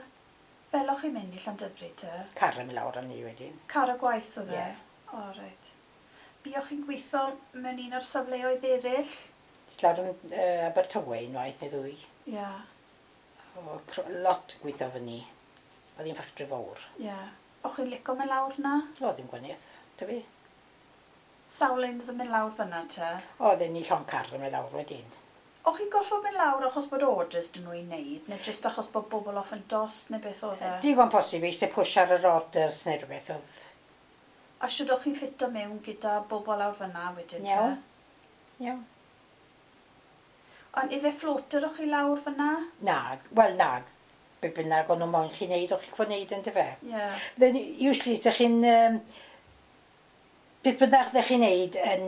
Fel o'ch chi'n mynd i Llandyfri te? car yn mynd lawr am ni wedyn. Car y gwaith oedd e? Ie. O, reit. Buoch chi'n gweithio mewn un o'r safleoedd eraill? Es lawr yn uh, Abertawe unwaith neu ddwy. Ie, yeah, O, cro- lot gweithio fyny. Oedd hi'n ffactri fawr. ie. Yeah. O'ch chi'n licio mynd lawr na? O, ddim gwaniaeth, dy fi. Sawl un oedd yn mynd lawr fyna te? O, oedden ni llond car yn mynd lawr wedyn. O'ch chi'n gorfod mynd lawr achos bod orders dyn nhw i wneud, neu jyst achos bod bobl off yn dost, neu beth oedd e? Digon posib eisiau push ar yr orders neu rhywbeth oedd. A siwr o'ch chi'n ffito mewn gyda bobl lawr fyna wedyn te? Iawn. Iawn. Ond ife floater o'ch chi lawr fyna? Na, wel na, be bynnag o'n nhw moyn chi wneud, o'ch chi'n gwybod wneud yn dyfe. Ie. Yeah. Then usually, ydych chi'n... Um, beth bynnag ydych chi'n wneud yn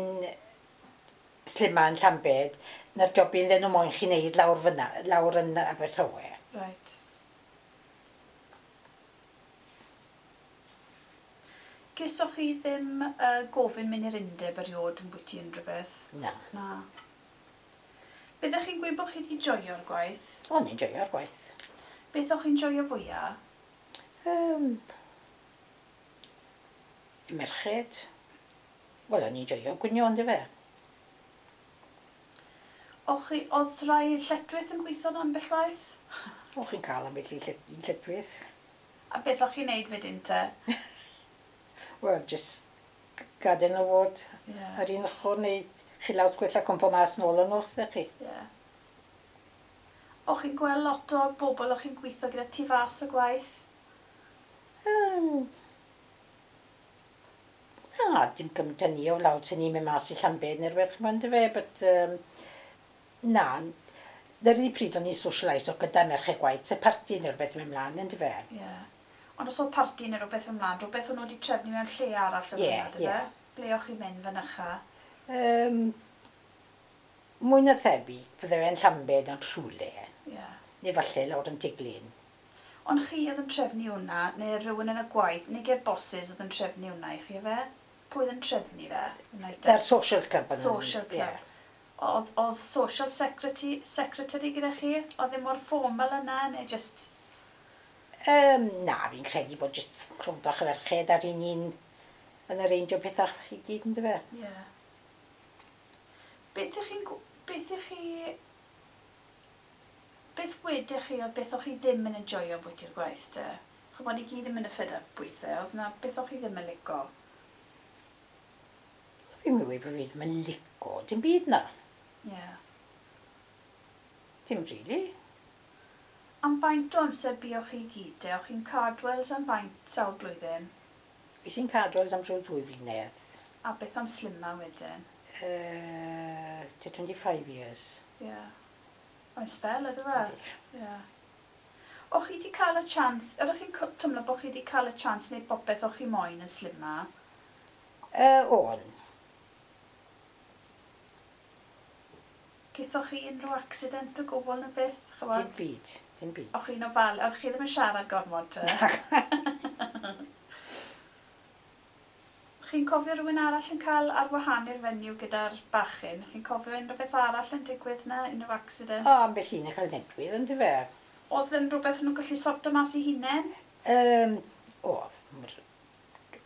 Slimma yn Llambed, na'r jobyn ddyn nhw moyn chi wneud lawr fyna, lawr yn Abertawe. Right. Gesoch chi ddim uh, gofyn mynd i'r undeb erioed yn bwyty unrhyw beth? Na. Na. Byddech chi'n gweud bod chi wedi joio'r gwaith? O'n i'n joio'r gwaith. Beth o'ch chi'n joio fwyaf? Um, merched. Wel, o'n i'n joio gwnio, on'd ife? O'ch chi, oedd rai lletwith yn gweithio yn ambell waith? O, chi'n cael ambell i llet- un lletwith. A beth o'ch chi'n neud wedyn te? Wel, just gadael nhw fod Ie. ar un ochr neu chi lawr gwella cwmpo mas nôl yn o'ch chi. Ie. O'ch chi'n gweld lot o bobl o'ch chi'n gweithio gyda tu fas y gwaith? Um, na, dim gymaint â ni o lawr sy'n ni'n mynd mas i Llambed neu rhywbeth, ch'mod, yndyfe, but um, na, dy'r unig pryd o'n i'n socialise o gyda merched gwaith, se parti neu rhywbeth yn mynd mlaen, yndyfe? Ie. Ond os oedd parti neu rhywbeth ymlaen, rhywbeth o'n nhw wedi trefnu mewn lle arall oedd Ie, hwnna, ie. dyfe? Ble o'ch chi'n mynd fynycha? Um, mwy na thebyg, fydde fe'n Llambed yn rhywle, Ie. neu falle lawr yn Tiglin. Ond chi oedd yn trefnu hwnna, neu rhywun yn y gwaith, neu ge'r bosses oedd yn trefnu hwnna i chi, efe? Pwy oedd yn trefnu fe? Hwnna i te? Da'r social club. yn- Social club. Ie. Oedd, oedd social secretary, secretary gyda chi? Oedd e mor formal yna, neu just... Um, na, fi'n credu bod jyst crwm bach o ferched ar un un yn arrangio pethau i gyd, yndyfe? Ie. Yeah. Beth ych chi'n... gw- Beth ych chi... Beth wedych chi o beth o'ch chi ddim yn enjoyo bwyty'r gwaith te? Ch'mod, i gyd yn mynd y fed up weithiau, oedd na beth o'ch chi ddim yn lico? Fi'n mynd bod fi ddim yn lico, dim byd na. Ie. Yeah. Dim really. Am faint o amser buoch chi gyd te? O'ch chi'n Cardwells am faint sawl blwyddyn? Fi sy'n Cardwells am rhyw ddwy flynedd. A beth am Slimma wedyn? Uh, twenty-five years. Ie. Yeah. Mae'n spel, ydw fe? Ie. Yeah. O'ch chi wedi cael y chance, ydych chi'n teimlo bod chi wedi cael y chance neu popeth o'ch chi moyn yn Slimma? Uh, o'n. Gaethoch chi unrhyw accident o gwbl neu beth? Ch'mod? Dim byd, dim byd. O'ch chi'n ofal, o'ch chi ddim yn siarad gormod te? Chi'n cofio rhywun arall yn cael ar wahân i'r fenyw gyda'r bachyn? Chi'n cofio unrhyw beth arall yn digwydd na, unrhyw accident? O, ambell un yn cael nedwydd, yn dyfe? Oedd yn rhywbeth nhw'n gallu sorto mas eu hunain? Um, oedd.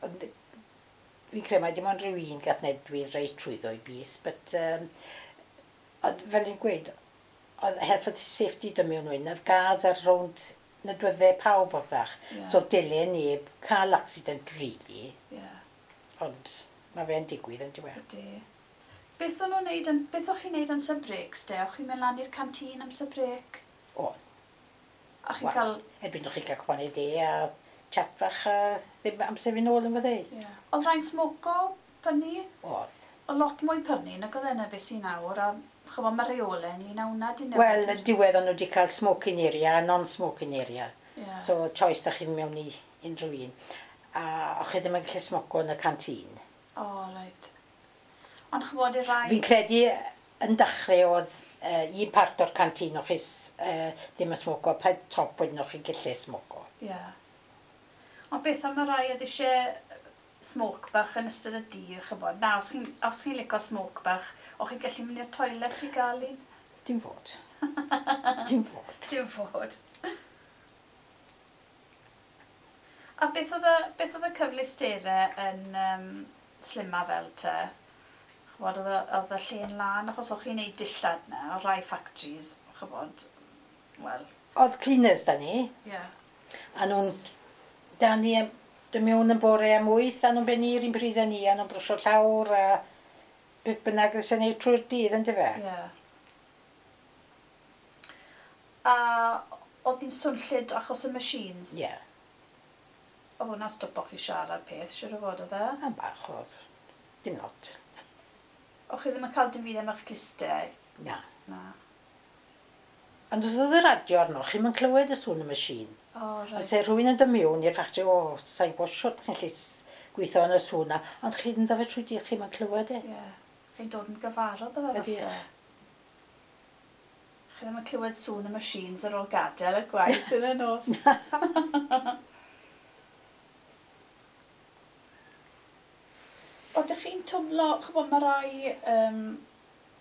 Ond fi'n credu mai dim ond rhyw un gath nedwydd reit trwyddo i bys, but um, ond fel i'n gweud, oedd health and safety dy mewn wyn, oedd guards ar rownd nodwyddau pawb o'r ddach. Yeah. So dyle neb cael accident really. Yeah. Ond mae fe'n digwydd yn diwedd. Ydy. Beth o'n nhw'n neud, beth o'ch chi'n neud amser breaks de? O'ch chi'n mynd lan i'r canteen amser break? O'n. A chi'n cael... Erbyn o'ch chi'n cael cwanau de a chat bach a ddim amser fi'n ôl yn fydde. Yeah. Oedd rhaid smoco prynu? Oedd. O lot mwy prynu nag oedd yna beth sy'n nawr a ch'mod mae reolau ynglyn â hwnna di newid. Wel, yn diwedd o'n nhw wedi cael smoking area a non-smoking area. Yeah. So choice da chi'n mewn i unrhyw un. A o'ch chi ddim yn gallu smoco yn y canteen. O, oh, reit. Ond ch'mod i rai... Fi'n credu yn dechrau oedd uh, un part o'r canteen o'ch chi uh, ddim yn smoco, pa top wedyn o'ch chi'n gallu smoco. Ie. Yeah. Ond beth am y rai oedd eisiau smoke bach yn ystod y dydd, ch'mod? Na, os chi'n os chi'n licio smoke bach, o'ch chi'n gallu mynd i'r toilet i gael un? Dim fod. Dim fod. Dim fod. A beth oedd y, beth oedd y cyfleusterau yn um, Slimma fel te? Ch'mod, oedd y, oedd y lle'n lan, achos o'ch chi'n neud dillad na, o rai factories, ch'mod, wel... Oedd cleaners da ni. Ie. Yeah. A nhw'n, da ni, dy mewn yn bore am wyth, a nhw'n bennu i'r un pryd â ni, a nhw'n brwsio llawr, a beth bynnag ys yn neud trwy'r dydd, yn dyfe? Ie. Yeah. A oedd hi'n swnllyd achos y machines? Ie. Yeah. Oedd hwnna'n stopo chi siarad peth, siŵr o fod oedd e? Am bach oedd. Dim lot. O'ch chi ddim yn cael dim byd am eich clustiau? Na. Na. Ond os oedd y radio arno, chi'm yn clywed y sŵn y machine. O, oh, reit. Ond se rhywun yn dod mewn i'r factory, o, sa'n gwybod shwt chi'n gallu gweithio yn y sŵn na, ond chi'n dod fe trwy dydd, chi'm yn clywed e. Ie. Yeah. Chi'n dod yn gyfarwydd o fe falle. Chi ddim yn clywed sŵn y machines ar ôl gadael y gwaith yn y nos. Oeddech chi'n twmlo, ch'mod, mae rai um,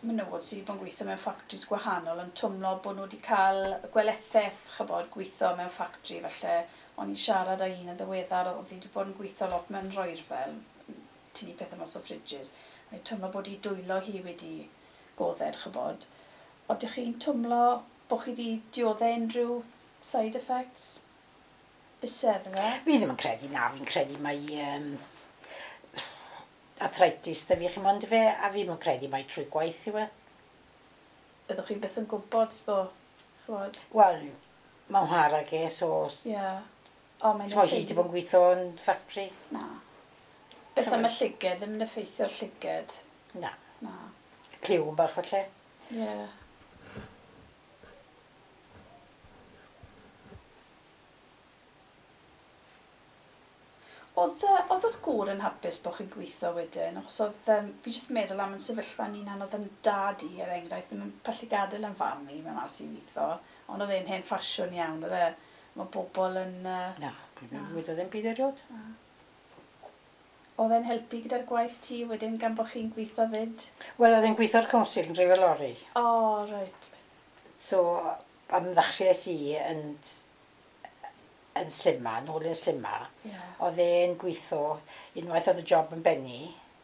menywod sydd wedi bod yn gweithio mewn factories gwahanol yn twmlo bod nhw wedi cael gweletheth, ch'mod, gweithio mewn factory falle. O'n i'n siarad â un yn ddiweddar, oedd hi wedi bod yn gweithio lot mewn roerfel, tynnu pethau mas o fridges. Mae'n twmlo bod hi dwylo hi wedi godded, ch'mod. Oeddech chi'n twmlo bod chi wedi dioddef unrhyw side effects? Bysedd fe? Fi ddim yn credu na, fi'n credu mai... Um, arthritis da fi chi mond fe, a fi ddim yn credu mai trwy gwaith yw e. Byddwch chi byth yn gwybod, sbo, ch'mod? Wel, mae'n hara ge, so... Ie. Yeah. O, mae'n Sbo hi wedi bod yn gweithio yn factory. Na. Beth am y llyged, ddim yn effeithio'r llyged? Na. Na. Clyw yn bach falle. Ie. Yeah. Oedd, oedd eich gŵr yn hapus bod chi'n gweithio wedyn? Achos oedd, um, fi jyst meddwl am yn sefyllfa ni'n anodd yn dad i, er enghraifft, ddim yn pallu gadael yn fam i, mae'n mas i weithio. Ond oedd e'n hen ffasiwn iawn, oedd e? Mae bobl yn... Uh, na, dwi'n wedodd e'n byd erioed. Oedd e'n helpu gyda'r gwaith ti wedyn gan bod chi'n gweithio fyd? Wel, oedd e'n gweithio'r council yn dreifio lori. O, oh, reit. So, am ddechreuais i yn... yn Slimma, nôl yn Slimma, yeah. Oedd e'n gweithio, unwaith oedd y job yn bennu,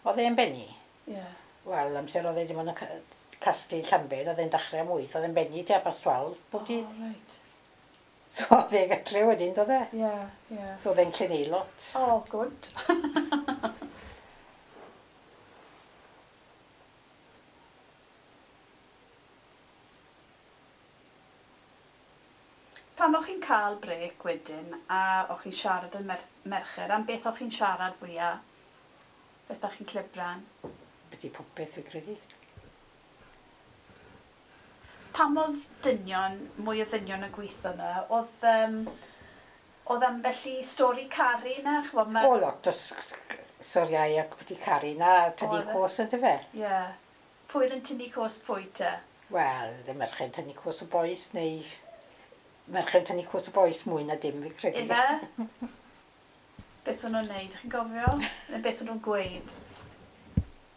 oedd e'n bennu. Yeah. Wel, amser oedd e dim ond yn casglu Llambed, oedd e'n dechrau am wyth, oedd e'n benni tua past twelve bob dydd. Oh, right. So oedd e gatre wedyn, doedd e? Ie, ie. So oedd e'n gallu neud lot. Oh, good. Pan o'ch chi'n cael brêc wedyn a o'ch chi'n siarad yn mer merched, am beth o'ch chi'n siarad fwyaf? Beth o'ch chi'n clibran? Byti popeth fi credu. Pam oedd dynion, mwy o ddynion yn gweithio yna, oedd, um, oedd ambell i stori caru na? Ch'mod, ma... O, lot o storiau ac byti caru na, tynnu Oedd e? cos yn dyfe. Ie. Yeah. Pwy oedd yn tynnu cos pwy te? Wel, ddim merched tynnu cos y bois, neu merched tynnu cos y bois mwy na dim fi credu. Ife? Beth o'n nhw'n neud, chi'n gofio? Neu beth o'n nhw'n gweud?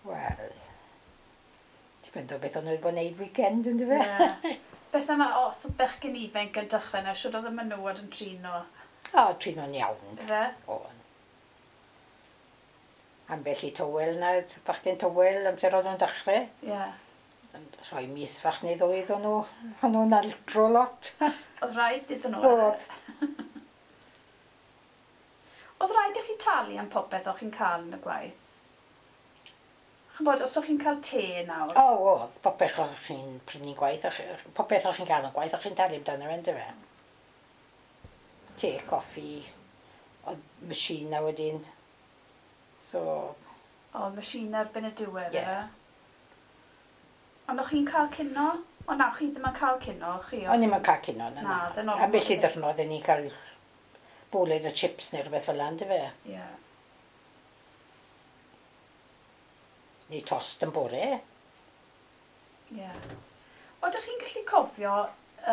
Wel, dipyn o beth o'n nhw wedi bod yn neud weekend yn dyfe? Ie. Beth am, os oedd bechgyn ifanc yn dechrau na, siwr oedd y menywod yn trin nhw? O, trin nhw'n iawn. Ife? O. Ambell i tywel na, bachgen tywel, amser oedd nhw'n dechrau. Ie. Yn rhoi mis fach neu ddwy iddyn nhw, o'n nhw'n altro lot. Oedd rhaid iddyn nhw? Oedd. Oedd rhaid i chi talu am popeth o'ch chi'n cael yn y gwaith? Ch'mbod, os o'ch chi'n cael te nawr? O, oedd, popeth o'ch chi'n prynu gwaith, o'ch- popeth o'ch chi'n cael yn gwaith, o'ch chi'n talu amdano fe, yndyfe? Te, coffi, oedd machine na wedyn. So, Oedd machine erbyn y diwedd, Ie. ife? Ond o'ch chi'n cael cino? O na, chi ddim yn cael cino, chi? o'n i'm yn cael cino, na, Na, na. oedd e'n ormod. Ambell i ddyrnod, oedden ni'n cael bwled o chips neu rhywbeth fel 'na, yndyfe? Ie. Neu tost yn bore. Ie. Oeddech chi'n gallu cofio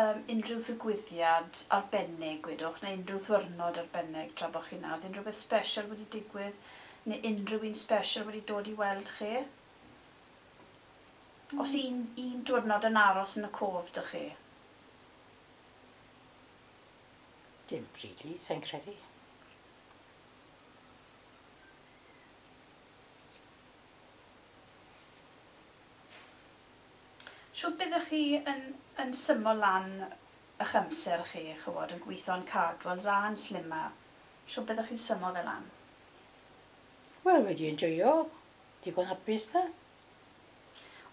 um, unrhyw ddigwyddiad arbennig, gwedwch, neu unrhyw ddwrnod arbennig tra bod chi 'na? Oedd unrhyw beth special wedi digwydd, neu unrhyw un special wedi dod i weld chi? Os un, un diwrnod yn aros yn y cof, dych chi? Dim really, sa'n credu. Siwr byddech chi yn, yn symo lan eich amser chi, chywod, yn gweithio yn Cardwells a yn Slimma. Siwr byddech chi'n symo fe lan? Wel, wedi enjoyo. Digon hapus da.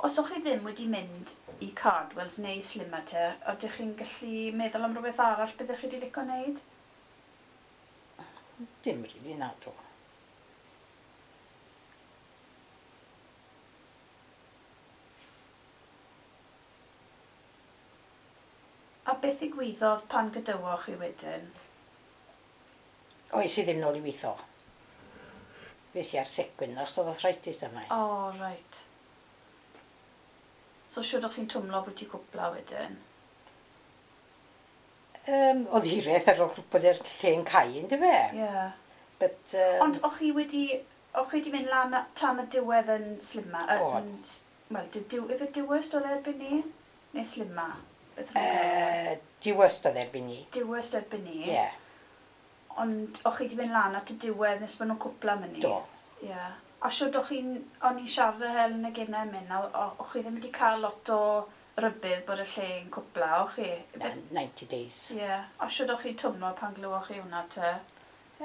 Os o'ch chi ddim wedi mynd i Cardwells neu Slimma te, ydych chi'n gallu meddwl am rhywbeth arall byddech chi wedi licio wneud? Dim really, na do. A beth ddigwyddodd pan gydywoch chi wedyn? O, es i ddim nôl i weithio. Fes i ar sick wyn, achos oedd arthritis arna i. O, oh, reit. So siwr o'ch chi'n twmlo bod ti cwpla wedyn? Um, oedd hiraeth ar ôl bod yr lle'n cau, yndyfe? Ie. Yeah. But, um, Ond o'ch chi wedi, o'ch chi wedi mynd lan a- tan y diwedd yn Slimma? Yy, O'n. yn s- Wel, di, diw, ife Dewhurst oedd e erbyn ni? Neu Slimma? Beth o'n nhw'n galw e? uh, Dewhurst oedd erbyn ni. Dewhurst erbyn ni. Ie, yeah, Ond o'ch chi wedi mynd lan at y diwedd nes bod nhw'n cwpla mynd ni? do. Ie. Yeah. A siwr o'ch chi'n, o'n i'n siarad â Helen y gynnau yn mynd, a o- o'ch chi ddim wedi cael lot o rybudd bod y lle yn cwpla, o'ch chi? Na, Beth- ninety days. Ie. Yeah. A siwr o'ch chi'n twmlo pan glywoch chi hwnna te?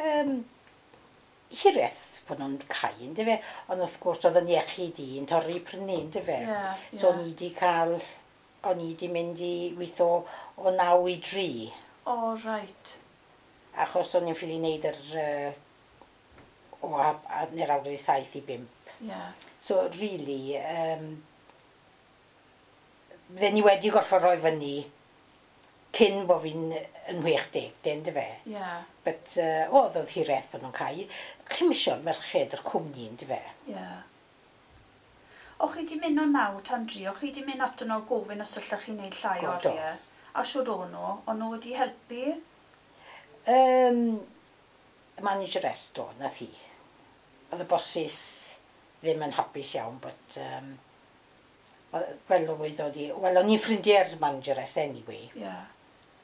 Um, hiraeth bod nhw'n cau, yndyfe? Ond wrth gwrs oedd yn iechyd i yn torri prynu, yndyfe? Ie, ie. So o'n i wedi cael, o'n i wedi mynd i weithio o naw i dri, O, reit. achos o'n i'n ffili wneud yr, uh, o a, a, neu'r awr i saith i bump. Ie. Yeah. So really, um, bydden ni wedi gorfod rhoi fyny cyn bod fi'n yn chwech deg, de, yndyfe? Ie. Yeah. But, uh, o, oedd oedd hiraeth bod nhw'n cau. Chi'm isio'r merched yr cwmni, yndyfe? Ie. Yeah. O'ch chi 'di mynd o naw tan dri, o'ch chi 'di mynd ato nhw gofyn os allech chi wneud llai O, do. oriau? A siwr o'n nhw, o'n nhw wedi helpu? Um, manageress do, nath hi. Oedd y bosses ddim yn hapus iawn, but um, oedd- fel wedodd hi, wel, o'n i'n ffrindiau'r manageress anyway, Ie. Yeah.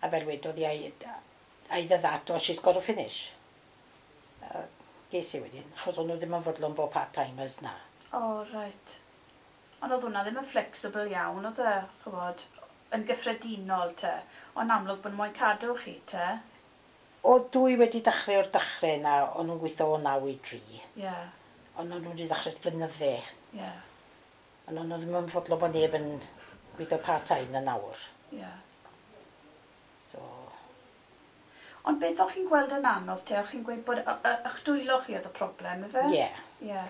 a fel wedodd hi, either that or she's got to finish. Uh, ges i wedyn, achos o'n nhw ddim yn fodlon bod part-timers na. O, oh, reit. Ond oedd hwnna ddim yn flexible iawn, oedd e, chybod, yn gyffredinol te. Ond amlwg bod nhw moyn cadw chi te. Oedd dwy wedi dechrau o'r dechrau yna, o'n nhw'n gweithio o naw i dri. Ie, yeah, Ond o'n nhw wedi dechrau blynydde. ie, yeah, Ond o'n nhw ddim yn fodlon bod neb yn gweithio part-time na nawr. ie. Yeah. So, Ond beth o'ch chi'n gweld yn anodd te? O'ch chi'n gweud bod y- y- eich dwylo chi oedd y broblem, ife? ie. Yeah. Ie. Yeah.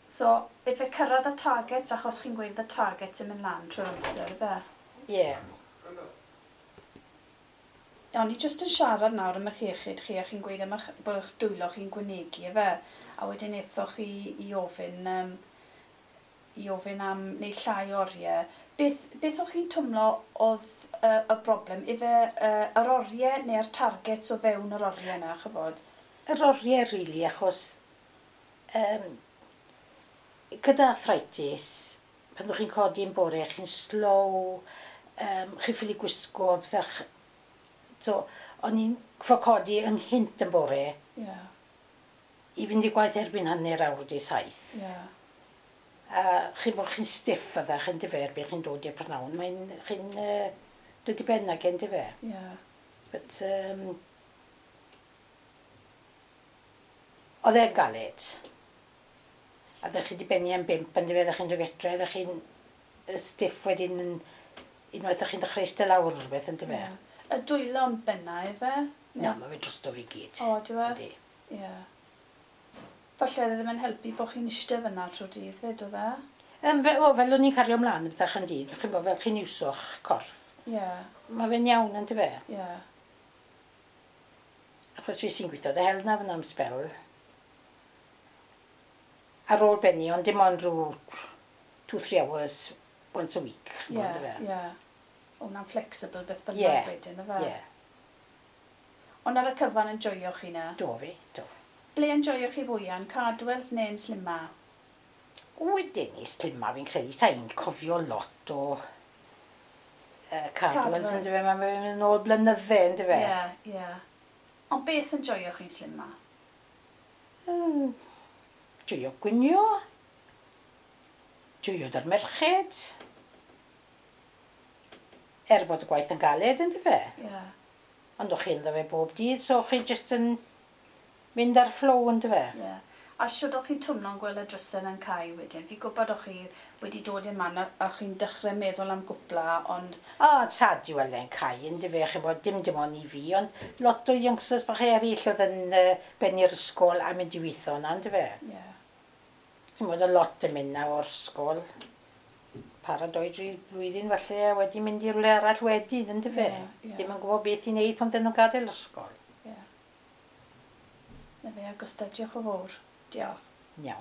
So, ife cyrraedd y targets, achos chi'n gweud y targets yn mynd lan trwy'r amser, ife? Ie. Yeah. O'n i jyst yn siarad nawr am eich iechyd chi, a chi'n gweud am eich, bod eich dwylo chi'n gwanegu, ife? A wedyn aethoch chi i ofyn, um, i ofyn am neu llai oriau. Beth, beth o'ch chi'n twmlo oedd uh, y broblem? Ife uh, yr oriau neu'r targets o fewn yr oriau yna, chybod? Yr oriau, really, achos um, gyda arthritis, pan ydych chi'n codi yn bore, chi'n slow, um, chi'n ffili gwisgo, byddech... So, o'n i'n ffo codi ynghynt yn bore Ie, yeah, i fynd i gwaith erbyn hanner awr wedi saith. ie. Yeah. A chi'n bod chi'n stiff ydych yn dyfe erbyn chi'n dod i'r prynhawn, mae'n chi'n uh, dod i ben ag yn dyfe. Ie. Yeah. But, um, oedd e'n galed. A ddech chi wedi benni am bump yn dyfe, ddech chi'n dod getre, ddech chi'n yy, stiff wedyn yn unwaith ddech chi'n dechrau eistedd lawr rhywbeth yn dyfe. Ie. Y dwylo'n benna, ife? Na, mae fe drosto fi gyd. O, dyw e? Ydi. Ie. Falle oedd e ddim yn helpu bod chi'n eistedd fyna trwy dydd fyd, oedd e? Um, fe, o, fel o'n i'n cario ymlaen y bethach yn dydd, chi'n bod fel chi'n iwso'ch corff. Ie, Mae fe'n iawn yn dyfe. ie. Achos fi sy'n gweithio dy hel na fyna am spel. Ar ôl benni, ond dim ond rhyw two, three hours once a week. Ie, Ie, yndyfe? ie. O, hwnna'n flexible beth bynnag Ie, wedyn, ife? Ie, Ond ar y cyfan yn joio chi na? do fi, do. Ble yn joio chi fwyaf, yn Cadwells neu'n Slimma? Wedyn i Slimma fi'n credu, sa'n cofio lot o uh, Cadwells, Cadwells. yndyfe, mae'n mynd yn ôl blynydde, yndyfe? Ie, ie. Ond beth yn joio chi'n Slimma? Mm, joio gwynio, joio da'r merched, er bod y gwaith yn galed, yndyfe? Ie. Ond o'ch chi'n dda fe bob dydd, so o'ch chi jyst yn mynd ar flow, yndyfe? Ie. A siwr o'ch chi'n twmlo'n gweld y drysau yn cau wedyn? Fi'n gwybod o'ch chi wedi dod i'r man a a chi'n dechrau meddwl am gwpla, ond O, sad i weld e'n cau, yndyfe, chi'n bod dim dim ond i fi, ond lot o youngsters bach eraill oedd yn uh, benni'r ysgol a mynd i weithio yna, yndyfe? ie. Chi'n bod y lot yn mynd na o'r ysgol. Para doi dri blwyddyn falle a wedi mynd i rywle arall wedyn, yndyfe? Ie, ie. Dim yn gwybod beth i wneud pan dyn nhw'n gadael yr ysgol. Ie. Na fe, Augusta, diolch yn fawr. Diolch. Iawn.